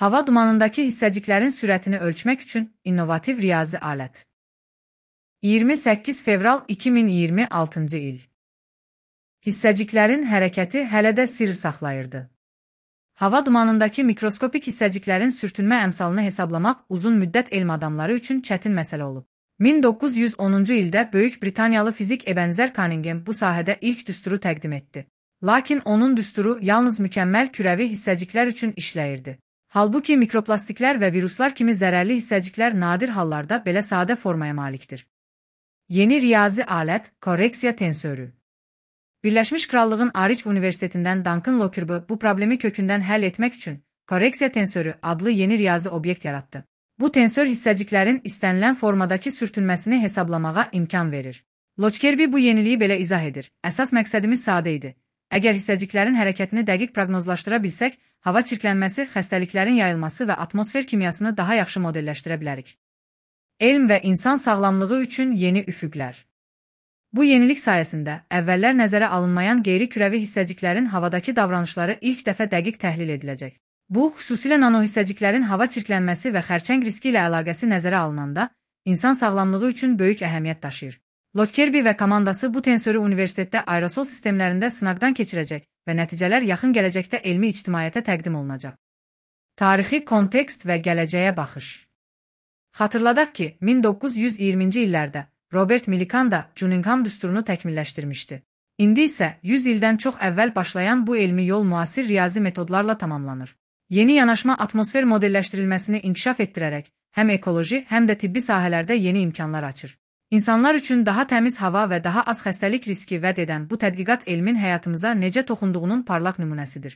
Hava dumanındakı hissəciklərin sürətini ölçmək üçün innovativ riyazi alət. 28 fevral 2026-cı il. Hissəciklərin hərəkəti hələ də sirr saxlayırdı. Hava dumanındakı mikroskopik hissəciklərin sürtünmə əmsalını hesablamaq uzun müddət elm adamları üçün çətin məsələ olub. 1910-cu ildə Böyük Britaniyalı fizik Ebenezer Cunningham bu sahədə ilk düsturu təqdim etdi. Lakin onun düsturu yalnız mükəmməl kürəvi hissəciklər üçün işləyirdi. Halbuki mikroplastiklər və viruslar kimi zərərli hissəciklər nadir hallarda belə sadə formaya malikdir. Yeni riyazi alət, korreksiya tensörü. Birləşmiş Krallığın Ariç Universitetindən Duncan Lockerby bu problemi kökündən həll etmək üçün korreksiya tensörü adlı yeni riyazi obyekt yaratdı. Bu tensör hissəciklərin istənilən formadakı sürtünməsini hesablamağa imkan verir. Lockerby bu yeniliyi belə izah edir. Əsas məqsədimiz sadə idi. Əgər hissəciklərin hərəkətini dəqiq proqnozlaşdıra bilsək, hava çirklənməsi, xəstəliklərin yayılması və atmosfer kimyasını daha yaxşı modelləşdirə bilərik. Elm və insan sağlamlığı üçün yeni üfüqlər. Bu yenilik sayəsində əvvəllər nəzərə alınmayan qeyri-kürəvi hissəciklərin havadakı davranışları ilk dəfə dəqiq təhlil ediləcək. Bu, xüsusilə nanohissəciklərin hava çirklənməsi və xərçəng riski ilə əlaqəsi nəzərə alınanda, insan sağlamlığı üçün böyük əhəmiyyət daşıyır. Lockerby və komandası bu tensörü universitetdə aerosol sistemlərində sınaqdan keçirəcək və nəticələr yaxın gələcəkdə elmi ictimaiyyətə təqdim olunacaq. Tarixi kontekst və gələcəyə baxış. Xatırladaq ki, 1920-ci illərdə Robert Millikan da Cunningham düsturunu təkmilləşdirmişdi. İndi isə 100 ildən çox əvvəl başlayan bu elmi yol müasir riyazi metodlarla tamamlanır. Yeni yanaşma atmosfer modelləşdirilməsini inkişaf etdirərək həm ekoloji, həm də tibbi sahələrdə yeni imkanlar açır. İnsanlar üçün daha təmiz hava və daha az xəstəlik riski vəd edən bu tədqiqat elmin həyatımıza necə toxunduğunun parlaq nümunəsidir.